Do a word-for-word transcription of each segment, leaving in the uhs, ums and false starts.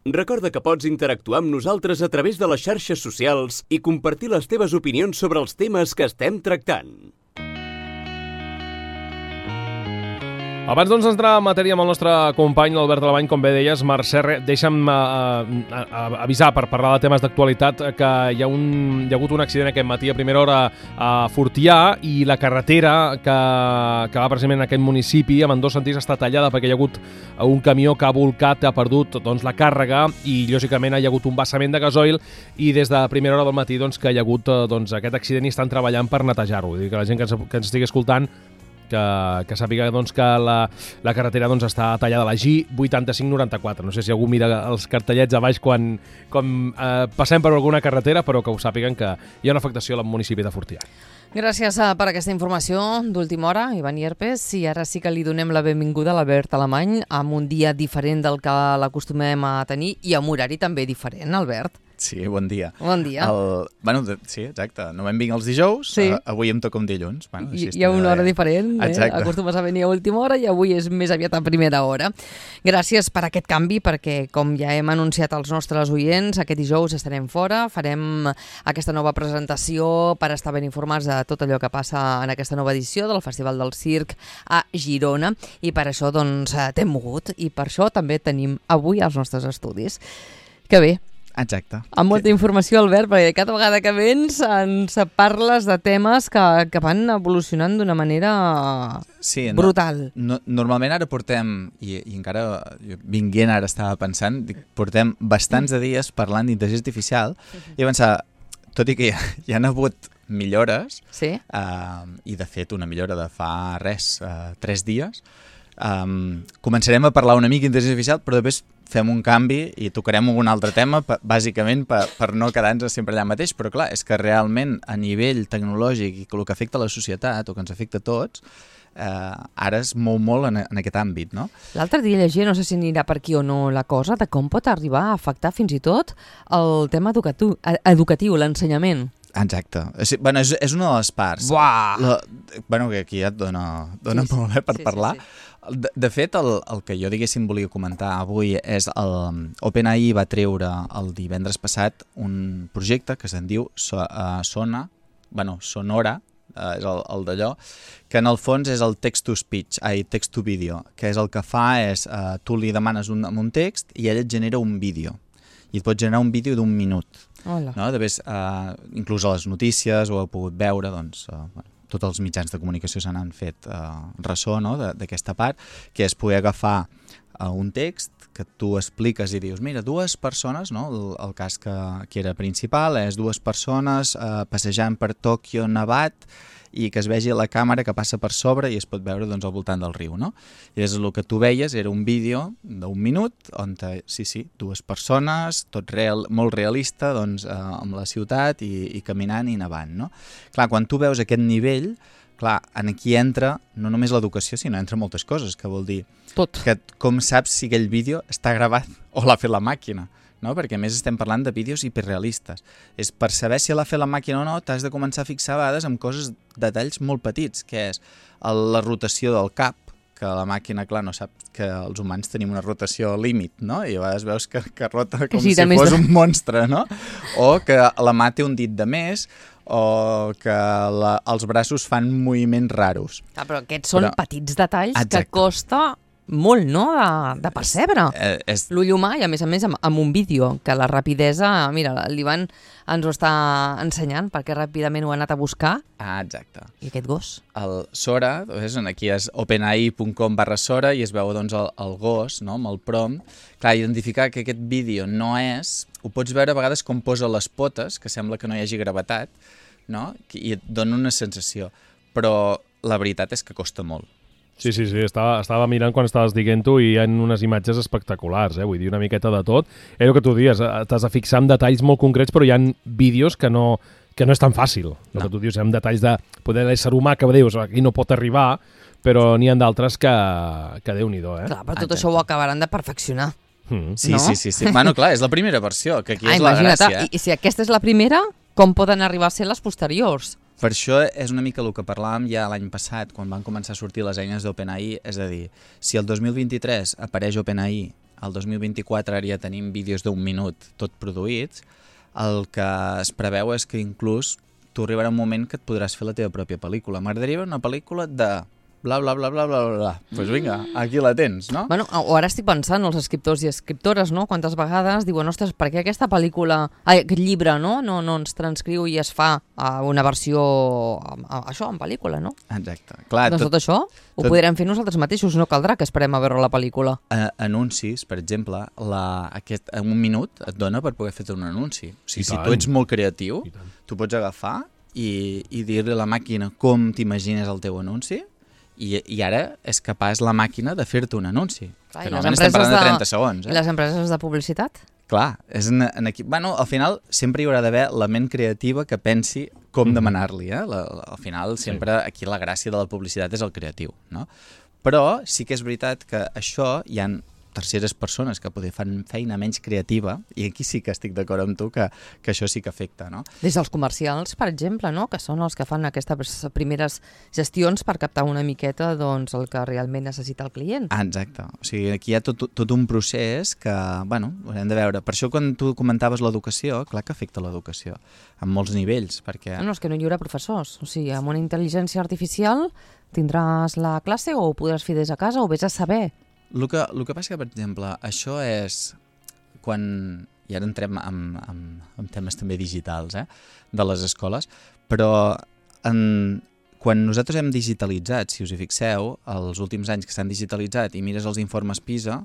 Recorda que pots interactuar amb nosaltres a través de les xarxes socials i compartir les teves opinions sobre els temes que estem tractant. Abans doncs d'entrar en matèria amb el nostre company l'Albert Alemany, com bé deies, Mercè, deixa'm uh, uh, avisar per parlar de temes d'actualitat que hi ha, un, hi ha hagut un accident aquest matí a primera hora a Fortià i la carretera que, que va precisament en aquest municipi amb en dos sentits està tallada perquè hi ha hagut un camió que ha volcat, ha perdut doncs, la càrrega i lògicament hi ha hagut un vessament de gasoil i des de primera hora del matí doncs, que hi ha hagut doncs, aquest accident i estan treballant per netejar-ho. Vull dir que la gent que ens, que ens estigui escoltant que, que sàpiga doncs, que la, la carretera doncs, està tallada a la G vuitanta-cinc noranta-quatre. No sé si algú mira els cartellets a baix quan, quan eh, passem per alguna carretera, però que ho sàpiguen que hi ha una afectació al municipi de Fortià. Gràcies per aquesta informació d'última hora, Ivan Ierpes. I ara sí que li donem la benvinguda a l'Albert Alemany amb un dia diferent del que l'acostumem a tenir i amb horari també diferent, Albert. Sí, bon dia. Bon dia. El, bueno, de, sí, exacte. Normalment vinc els dijous, sí. uh, avui em toca un dilluns. Bueno, I, hi ha una hora diferent, eh? Acostumes a venir a última hora i avui és més aviat a primera hora. Gràcies per aquest canvi, perquè com ja hem anunciat als nostres oients, aquest dijous estarem fora, farem aquesta nova presentació per estar ben informats de tot allò que passa en aquesta nova edició del Festival del Circ a Girona i per això doncs t'hem mogut i per això també tenim avui els nostres estudis. Que bé. Exacte. Amb molta informació, Albert, perquè cada vegada que vens ens parles de temes que, que van evolucionant d'una manera sí, brutal. No, no, normalment ara portem, i, i encara jo vinguent ara estava pensant, dic, portem bastants de dies parlant d'intel·ligència artificial uh-huh. i pensar, tot i que hi, hi han hagut millores, sí. uh, i de fet una millora de fa res, uh, tres dies, um, començarem a parlar una mica d'intel·ligència artificial, però després fem un canvi i tocarem un altre tema, bàsicament per, per no quedar-nos sempre allà mateix, però clar, és que realment a nivell tecnològic i el que afecta a la societat o que ens afecta a tots, eh, ara es mou molt en, en aquest àmbit, no? L'altre dia llegia, no sé si anirà per aquí o no la cosa, de com pot arribar a afectar fins i tot el tema educatiu, educatiu l'ensenyament. Exacte. És, bueno, és, és una de les parts. Buah! La, bueno, que aquí ja et dona, dona sí, molt bé per sí, parlar. Sí, sí. De, de fet, el, el que jo diguéssim volia comentar avui és el OpenAI va treure el divendres passat un projecte que se'n diu so, uh, Sona, bueno, Sonora, uh, és el, el d'allò, que en el fons és el text-to-speech, ai, text-to-video, que és el que fa és, uh, tu li demanes un, un text i ell et genera un vídeo. I et pot generar un vídeo d'un minut. Hola. No? De vegades, uh, inclús a les notícies ho heu pogut veure, doncs, uh, bueno, tots els mitjans de comunicació se n'han fet eh, ressò no? d'aquesta part, que és poder agafar eh, un text que tu expliques i dius, mira, dues persones, no? el, el cas que, que era principal és dues persones eh, passejant per Tòquio nevat i que es vegi la càmera que passa per sobre i es pot veure doncs, al voltant del riu. No? I és el que tu veies, era un vídeo d'un minut on, te, sí, sí, dues persones, tot real, molt realista, doncs, eh, amb la ciutat i, i caminant i nevant. No? Clar, quan tu veus aquest nivell, clar, en aquí entra no només l'educació, sinó entra moltes coses, que vol dir tot. Que com saps si aquell vídeo està gravat o l'ha fet la màquina. No? Perquè a més estem parlant de vídeos hiperrealistes. És per saber si l'ha fet la màquina o no, t'has de començar a fixar a vegades en coses, detalls molt petits, que és el, la rotació del cap, que la màquina, clar, no sap que els humans tenim una rotació límit, no? I a vegades veus que, que rota com sí, si fos de... un monstre, no? O que la mà té un dit de més, o que la, els braços fan moviments raros. Ah, però aquests són però... petits detalls exacte. Que costa... molt, no?, de, de percebre. És, és... L'ull humà i, a més a més, amb, amb un vídeo, que la rapidesa... Mira, l'Ivan ens ho està ensenyant perquè ràpidament ho ha anat a buscar. Ah, exacte. I aquest gos? El Sora, doncs, aquí és openai punt com barra Sora i es veu doncs, el, el gos, no?, amb el prompt. Clar, identificar que aquest vídeo no és... Ho pots veure a vegades com posa les potes, que sembla que no hi hagi gravetat, no?, i et dona una sensació. Però la veritat és que costa molt. Sí, sí, sí, estava, estava mirant quan estaves dient-ho i hi ha unes imatges espectaculars, eh? Vull dir, una miqueta de tot. És el que tu dius, t'has de fixar en detalls molt concrets, però hi ha vídeos que no, que no és tan fàcil. El no. que tu dius, en detalls de poder l'ésser humà que dius, aquí no pot arribar, però n'hi ha d'altres que, que Déu-n'hi-do, eh? Clar, però tot Exacte. Això ho acabaran de perfeccionar. Mm. Sí, no? sí, sí, sí. Bueno, clar, és la primera versió, que aquí ah, és la gràcia. I, I si aquesta és la primera, com poden arribar a ser les posteriors? Per això és una mica el que parlàvem ja l'any passat, quan van començar a sortir les eines d'OpenAI, és a dir, si el dos mil vint-i-tres apareix OpenAI el dos mil vint-i-quatre ara ja tenim vídeos d'un minut tot produïts, el que es preveu és que inclús tu arribarà un moment que et podràs fer la teva pròpia pel·lícula. M'agradaria veure una pel·lícula de bla, bla, bla, bla, bla, bla. Doncs pues vinga, aquí la tens, no? Bueno, o ara estic pensant, els escriptors i escriptores, no? Quantes vegades diuen, ostres, per què aquesta pel·lícula, ai, aquest llibre, no? No, no ens transcriu i es fa a una versió, a, a, això, en pel·lícula, no? Exacte. Clar, doncs tot, tot això ho tot... podrem fer nosaltres mateixos, no caldrà que esperem a veure la pel·lícula. A, anuncis, per exemple, la, aquest, en un minut et dona per poder fer un anunci. O sigui, si tu ets molt creatiu, tu pots agafar i, i dir-li a la màquina com t'imagines el teu anunci, I, i ara és capaç la màquina de fer-te un anunci. Clar, que normalment estem parlant de trenta segons. Eh? I les empreses de publicitat? Clar, és en, en aquí... bueno, al final sempre hi haurà d'haver la ment creativa que pensi com mm. demanar-li. Eh? La, la, al final sempre sí. Aquí la gràcia de la publicitat és el creatiu. No? Però sí que és veritat que això hi ha terceres persones que poder fan feina menys creativa, i aquí sí que estic d'acord amb tu que, que això sí que afecta. No? Des dels comercials, per exemple, no? Que són els que fan aquestes primeres gestions per captar una miqueta doncs, el que realment necessita el client. Ah, exacte. O sigui, aquí hi ha tot, tot un procés que, bueno, haurem de veure. Per això quan tu comentaves l'educació, clar que afecta l'educació, en molts nivells, perquè... No, no, és que no hi haurà professors. O sigui, amb una intel·ligència artificial tindràs la classe o ho podràs fer des de casa o vés a saber. El que, el que passa que, per exemple, això és quan... I ara entrem en, en, en temes també digitals, eh, de les escoles, però en, quan nosaltres hem digitalitzat, si us hi fixeu, els últims anys que s'han digitalitzat i mires els informes PISA,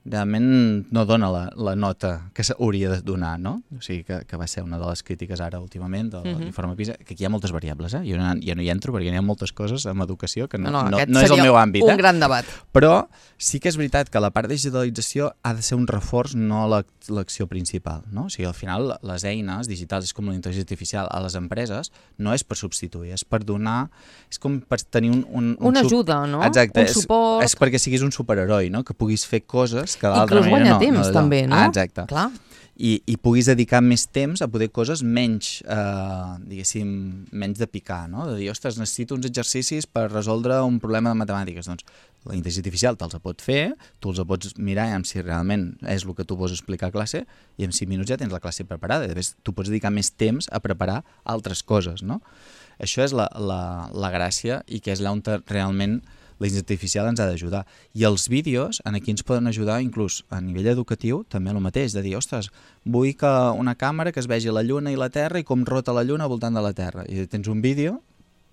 realment no dona la, la nota que s'hauria de donar, no? O sigui, que, que va ser una de les crítiques ara últimament de l'informe PISA, que aquí hi ha moltes variables, eh? Jo no, ja no hi entro perquè hi ha moltes coses en educació que no, no, no, no és el meu àmbit. Un eh? gran debat. Però sí que és veritat que la part de digitalització ha de ser un reforç, no l'acció principal, no? O sigui, al final les eines digitals, és com la intel·ligència artificial a les empreses, no és per substituir, és per donar, és com per tenir un... un, un una ajuda, no? Exacte, un és, suport. És perquè siguis un superheroi, no? Que puguis fer coses que inclús guanya no, temps, no també, no? Ah, exacte. Clar. I, I puguis dedicar més temps a poder coses menys, eh, diguéssim, menys de picar, no? De dir, ostres, necessito uns exercicis per resoldre un problema de matemàtiques. Doncs la intel·ligència artificial te'ls pot fer, tu els pots mirar i si realment és el que tu vols explicar a classe, i en cinc minuts ja tens la classe preparada. I després tu pots dedicar més temps a preparar altres coses, no? Això és la, la, la gràcia i que és allà on realment la intel·ligència artificial ens ha d'ajudar. I els vídeos aquí ens poden ajudar inclús a nivell educatiu també el mateix, de dir, ostres, vull que una càmera que es vegi la lluna i la terra i com rota la lluna al voltant de la terra. I tens un vídeo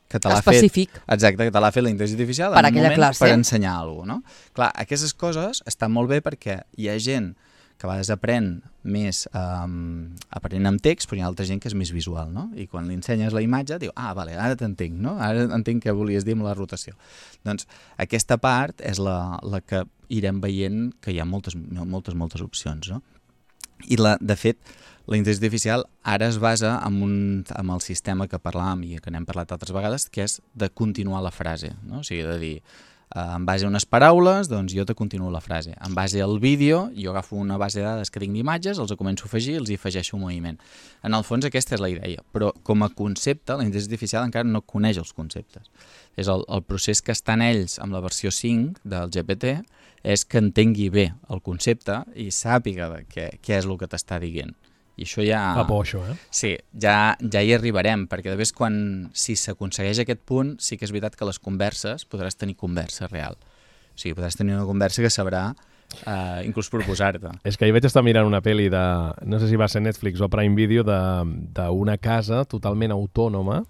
que te l'ha fet... Específic. Exacte, que te l'ha fet la intel·ligència artificial per en un moment classe. Per ensenyar alguna cosa, no? Clar, aquestes coses estan molt bé perquè hi ha gent que a vegades aprèn més um, aprenent amb text, però hi ha altra gent que és més visual, no? I quan li ensenyes la imatge, diu, ah, vale, ara t'entenc, no? Ara entenc què volies dir amb la rotació. Doncs aquesta part és la, la que irem veient que hi ha moltes, moltes, moltes opcions, no? I, la, de fet, la intel·ligència artificial ara es basa en, un, en el sistema que parlàvem i que n'hem parlat altres vegades, que és de continuar la frase, no? O sigui, de dir... Uh, en base a unes paraules, doncs jo te continuo la frase. En base al vídeo, jo agafo una base de dades que tinc d'imatges, els començo a afegir, els hi afegeixo un moviment. En el fons aquesta és la idea, però com a concepte la intel·ligència artificial encara no coneix els conceptes. És el, el procés que estan ells amb la versió cinc del G P T és que entengui bé el concepte i sàpiga de què, què és el que t'està dient. I això ja... Fa por, això, eh? Sí, ja, ja hi arribarem, perquè de vegades quan, si s'aconsegueix aquest punt, sí que és veritat que les converses podràs tenir conversa real. O sigui, podràs tenir una conversa que sabrà uh, inclús proposar-te. És que ahir vaig estar mirant una pel·li de, no sé si va ser Netflix o Prime Video, d'una casa totalment autònoma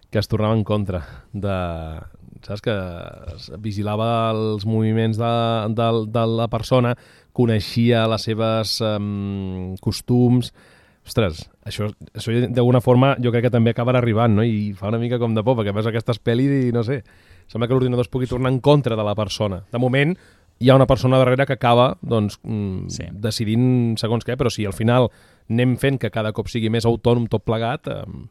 que es tornava en contra de... Saps? Que vigilava els moviments de, de, de la persona, coneixia les seves um, costums. Ostres, això, això d'alguna forma jo crec que també acabarà arribant, no? I fa una mica com de por, perquè veus aquestes pel·lis i no sé, sembla que l'ordinador es pugui tornar en contra de la persona. De moment hi ha una persona darrere que acaba doncs, mm, sí. decidint segons què, però si al final anem fent que cada cop sigui més autònom tot plegat... Um...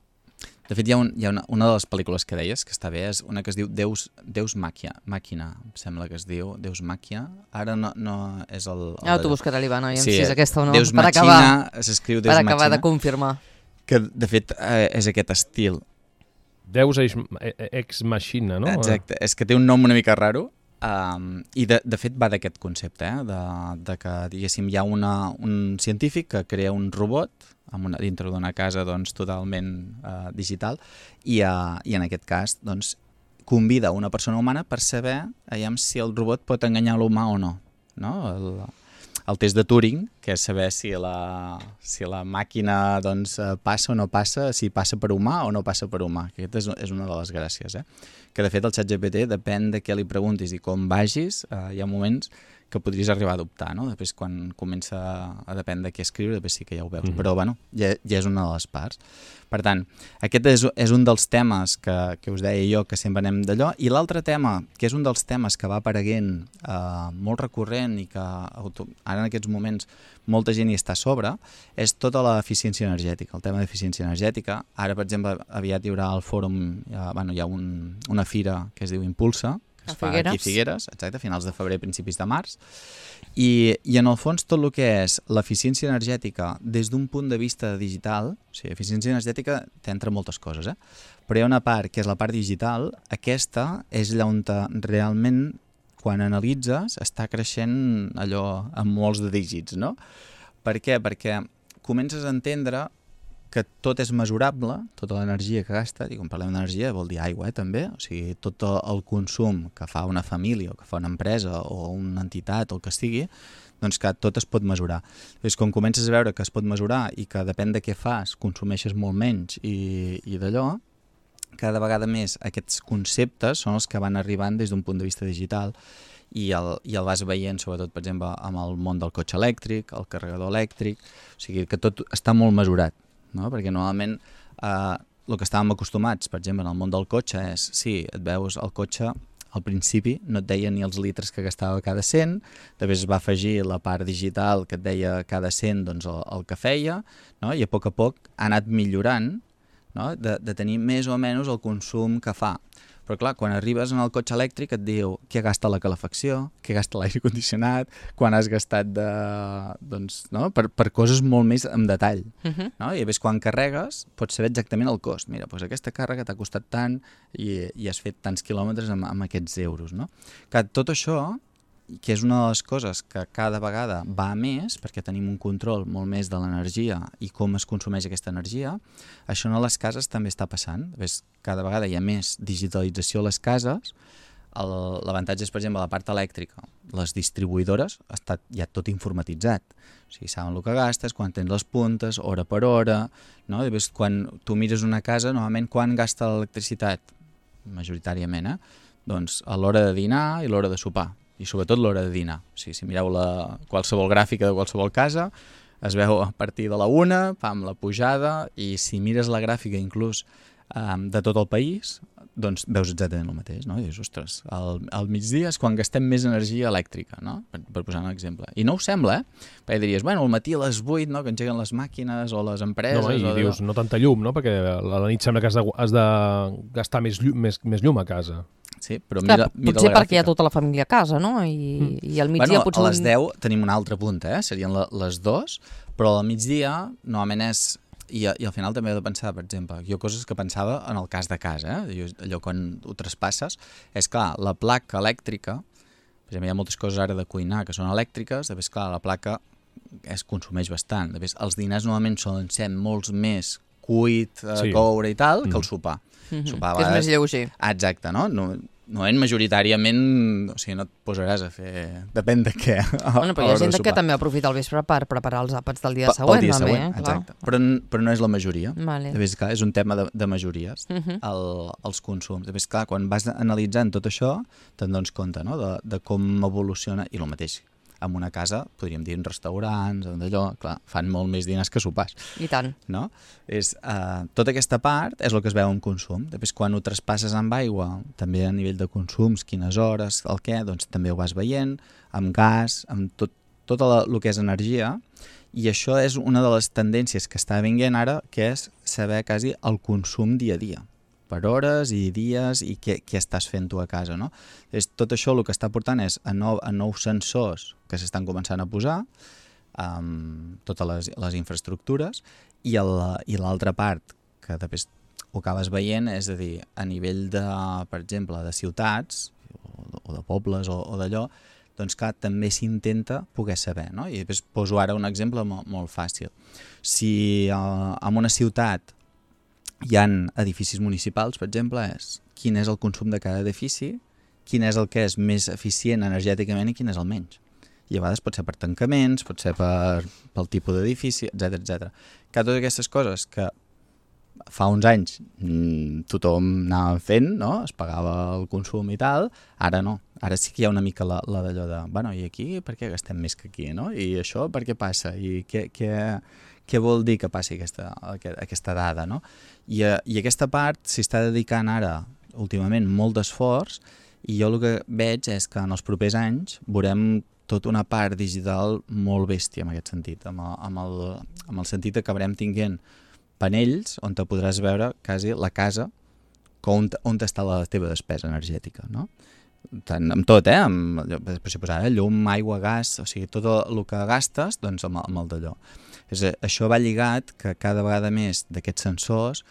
De fet, hi ha, un, hi ha una, una de les pel·lícules que deies, que està bé, és una que es diu Deus, Deus Màquina, Màquina, em sembla que es diu, Deus Màquina. Ara no, no és el... el ja t'ho buscarà l'Ivana, i em sí, si és aquesta o no. Deus per Màquina, acabar, s'escriu Deus per Màquina. acabar de confirmar. Que, de fet, eh, és aquest estil. Deus ex machina, no? Exacte, és que té un nom una mica raro, Um, I de, de fet va d'aquest concepte, eh? de, de que diguéssim hi ha una, un científic que crea un robot amb una, dintre d'una casa doncs, totalment uh, digital i, uh, i en aquest cas doncs, convida una persona humana per saber aviam, si el robot pot enganyar l'humà o no. no? El, el test de Turing, que és saber si la, si la màquina doncs, passa o no passa, si passa per humà o no passa per humà. Aquesta és, és una de les gràcies. Eh? Que de fet el ChatGPT depèn de què li preguntis i com vagis, eh, hi ha moments que podries arribar a adoptar, no? Després quan comença a dependre de què escriure, després sí que ja ho veus, mm-hmm. però bueno, ja, ja és una de les parts. Per tant, aquest és, és un dels temes que, que us deia jo que sempre anem d'allò, i l'altre tema, que és un dels temes que va apareguent eh, molt recurrent i que auto, ara en aquests moments molta gent hi està a sobre, és tota l'eficiència energètica, el tema d'eficiència energètica. Ara, per exemple, aviat hi haurà al fòrum, ja, bueno, hi ha un, una fira que es diu Impulsa, que es fa aquí a Figueres, exacte, a finals de febrer, principis de març, i, i en el fons tot el que és l'eficiència energètica des d'un punt de vista digital, o sigui, eficiència energètica t'entra moltes coses, eh? Però hi ha una part que és la part digital, aquesta és allà on realment, quan analitzes, està creixent allò amb molts de dígits, no? Per què? Perquè comences a entendre que tot és mesurable, tota l'energia que gasta, i quan parlem d'energia vol dir aigua, eh, també, o sigui, tot el consum que fa una família, o que fa una empresa, o una entitat, o el que sigui, doncs que tot es pot mesurar. Llavors, quan comences a veure que es pot mesurar i que depèn de què fas, consumeixes molt menys i, i d'allò, cada vegada més aquests conceptes són els que van arribant des d'un punt de vista digital i el, i el vas veient, sobretot, per exemple, amb el món del cotxe elèctric, el carregador elèctric, o sigui, que tot està molt mesurat. No? Perquè normalment eh, el que estàvem acostumats, per exemple, en el món del cotxe és, sí, et veus el cotxe, al principi no et deia ni els litres que gastava cada cent, després es va afegir la part digital que et deia cada cent doncs, el, el que feia, no? I a poc a poc ha anat millorant, no? de, de tenir més o menys el consum que fa. Però clar, quan arribes en el cotxe elèctric et diu què gasta la calefacció, què gasta l'aire condicionat, quan has gastat de, doncs, no? per, per coses molt més en detall. Uh-huh. No? I a més, quan carregues, pots saber exactament el cost. Mira, doncs aquesta càrrega t'ha costat tant i, i has fet tants quilòmetres amb, amb aquests euros. No? Que tot això, que és una de les coses que cada vegada va més, perquè tenim un control molt més de l'energia i com es consumeix aquesta energia, això a les cases també està passant. Ves, cada vegada hi ha més digitalització a les cases. L'avantatge és, per exemple, la part elèctrica. Les distribuïdores està ja tot informatitzat. O sigui, saben el que gastes, quan tens les puntes, hora per hora. No? I ves, quan tu mires una casa, normalment quan gasta l'electricitat? Majoritàriament, eh? Doncs a l'hora de dinar i l'hora de sopar. I sobretot l'hora de dinar. O sigui, si mireu la, qualsevol gràfica de qualsevol casa, es veu a partir de la una, pam, la pujada, i si mires la gràfica inclús um, de tot el país, doncs veus exactament el mateix, no? I dius, ostres, al, al migdia és quan gastem més energia elèctrica, no? Per, per posar un exemple. I no ho sembla, eh? Perquè diries, bueno, al matí a les vuit, no?, que engeguen les màquines o les empreses... No, i o dius, no tanta llum, no?, perquè a la nit sembla que has de, has de gastar més llum, més, més llum a casa. Sí, però mira, Clar, mira potser perquè hi ha tota la família a casa, no? I, mm. i al migdia bueno, potser... a les deu tenim un altre punt, eh? Serien la, les dos, però al migdia normalment és... I, I al final també he de pensar, per exemple, jo coses que pensava en el cas de casa, eh? Jo, allò quan ho traspasses, és clar, la placa elèctrica, per exemple, hi ha moltes coses ara de cuinar que són elèctriques, després, clar, la placa es consumeix bastant. Després, els dinars normalment solen ser molts més cuit, eh, sí. coure i tal, mm. que el sopar. Mm-hmm. Sopar que és més lleuger. Exacte, no? No, no en majoritàriament, o sigui, no et posaràs a fer... Depèn de què. Bueno, però hi ha gent que també aprofita el vespre per preparar els àpats del dia pa, següent. El dia també, següent, eh? exacte. Però, però no és la majoria. Vale. Després, clar, és un tema de, de majories, uh-huh. el, els consums. Després, clar, quan vas analitzant tot això, te'n dones compte, no?, de, de com evoluciona, i el mateix. En una casa, podríem dir en restaurants, d'allò, clar, fan molt més diners que sopars. I tant. No? És, uh, tota aquesta part és el que es veu en consum. Després, quan ho traspasses amb aigua, també a nivell de consums, quines hores, el què, doncs també ho vas veient, amb gas, amb tot, tot el que és energia, i això és una de les tendències que està vinguent ara, que és saber quasi el consum dia a dia, per hores i dies i què, què estàs fent tu a casa, no? És, tot això el que està portant és a, nou, a nous sensors que s'estan començant a posar, amb totes les, les infraestructures, i l'altra part que després ho acabes veient és a dir, a nivell de, per exemple, de ciutats o de pobles o, o d'allò, doncs clar, també s'intenta poder saber, no? I després poso ara un exemple molt, molt fàcil. Si uh, en una ciutat hi ha edificis municipals, per exemple, és quin és el consum de cada edifici, quin és el que és més eficient energèticament i quin és el menys. I a vegades pot ser per tancaments, pot ser per, pel tipus d'edifici, etcètera, etcètera. Que totes aquestes coses que fa uns anys mmm, tothom anava fent, no? Es pagava el consum i tal, ara no. Ara sí que hi ha una mica la, la d'allò de, bueno, i aquí per què gastem més que aquí, no? I això per què passa? I què, què, què vol dir que passi aquesta, aquesta dada, no? I, i aquesta part s'hi està dedicant ara, últimament, molt d'esforç, i jo el que veig és que en els propers anys veurem tota una part digital molt bèstia en aquest sentit, amb el, amb el, amb el sentit que acabarem tinguent panells on te podràs veure quasi la casa on, on està la teva despesa energètica, no? Tant, amb tot, eh? Amb, per si posar, eh? Llum, aigua, gas, o sigui, tot el que gastes, doncs amb, amb el d'allò. És, això va lligat que cada vegada més d'aquests sensors,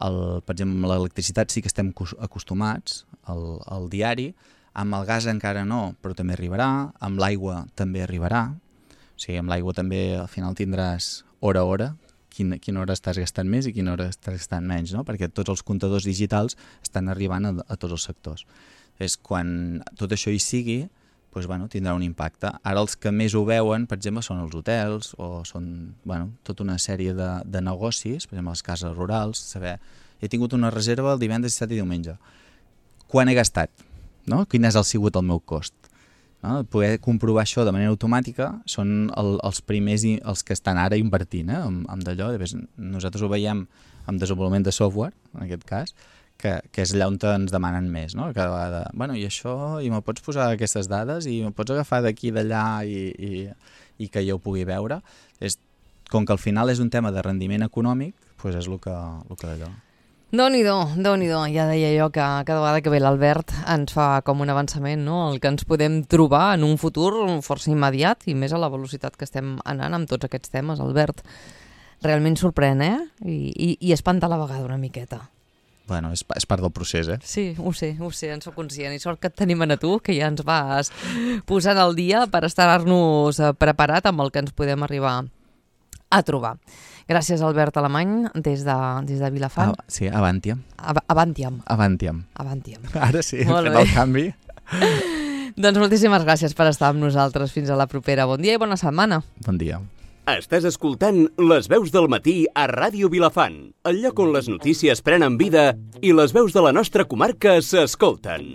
el, per exemple, amb l'electricitat sí que estem acostumats al, al diari, amb el gas encara no, però també arribarà, amb l'aigua també arribarà, o sigui, amb l'aigua també al final tindràs hora a hora, quina, quina hora estàs gastant més i quina hora estàs gastant menys, no? Perquè tots els comptadors digitals estan arribant a, a tots els sectors. És quan tot això hi sigui, doncs, bueno, tindrà un impacte. Ara els que més ho veuen, per exemple, són els hotels o són, bueno, tota una sèrie de, de negocis, per exemple, les cases rurals, saber, he tingut una reserva el divendres, dissabte i diumenge. Quan he gastat? No? Quin és el sigut el meu cost? No? Poder comprovar això de manera automàtica són el, els primers i els que estan ara invertint, eh? amb, amb d'allò. Nosaltres ho veiem amb desenvolupament de software, en aquest cas, que, que és allà on ens demanen més, no? Cada vegada, bueno, i això, i me pots posar aquestes dades, i me pots agafar d'aquí i d'allà i, i, i que jo ho pugui veure. És, com que al final és un tema de rendiment econòmic, doncs és el que, el que d'allò. Déu-n'hi-do, Déu-n'hi-do. Ja deia jo que cada vegada que ve l'Albert ens fa com un avançament, no? El que ens podem trobar en un futur força immediat i més a la velocitat que estem anant amb tots aquests temes, Albert. Realment sorprèn, eh? I, i, i espanta a la vegada una miqueta. Bueno, és, és part del procés, eh? Sí, ho sé, ho sé, en soc conscient. I sort que et tenim a tu, que ja ens vas posant al dia per estar-nos preparat amb el que ens podem arribar a trobar. Gràcies, Albert Alemany, des de, des de Vilafant. Ah, sí, Avantiam. Ab Avantiam. Avantiam. Avantiam. Ara sí, hem fet el canvi. Doncs moltíssimes gràcies per estar amb nosaltres. Fins a la propera. Bon dia i bona setmana. Bon dia. Estàs escoltant Les veus del matí a Ràdio Vilafant, el lloc on les notícies prenen vida i les veus de la nostra comarca s'escolten.